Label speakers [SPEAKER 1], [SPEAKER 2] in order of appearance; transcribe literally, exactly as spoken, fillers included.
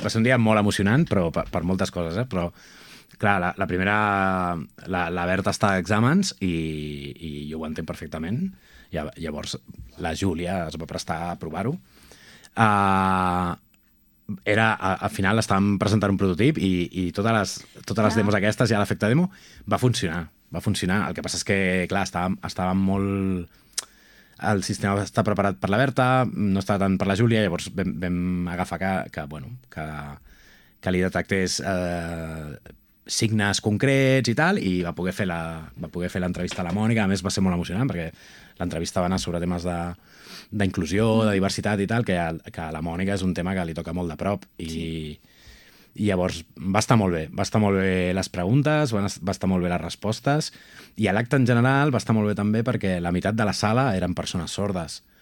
[SPEAKER 1] va ser un dia molt emocionant, però per, per moltes coses, eh? Però, clar, la, la primera... La, la Berta està a exàmens i, i jo ho entenc perfectament. I llavors la Júlia es va prestar a provar-ho. Uh, era, a- al final estàvem presentant un prototip i, i totes les, totes les
[SPEAKER 2] Clar.
[SPEAKER 1] demos aquestes, ja l'efecte demo, va funcionar. Va funcionar. El que passa és que, clar, estàvem, estàvem molt... El sistema està preparat per la Berta, no està tant per la Júlia, llavors vam, vam agafar que, que, bueno, que, que li detectés eh, signes concrets i tal, i va poder fer la, va poder fer l'entrevista a la Mònica. A més, va ser molt emocionant, perquè l'entrevista va anar sobre temes de d'inclusió, de diversitat i tal, que a, que a la Mònica és un tema que li toca molt de prop. I,
[SPEAKER 2] Sí.
[SPEAKER 1] i llavors va estar molt bé, va estar molt bé les preguntes, va, va estar molt bé les respostes, i a l'acte en general va estar molt bé també perquè la meitat de la sala eren persones sordes.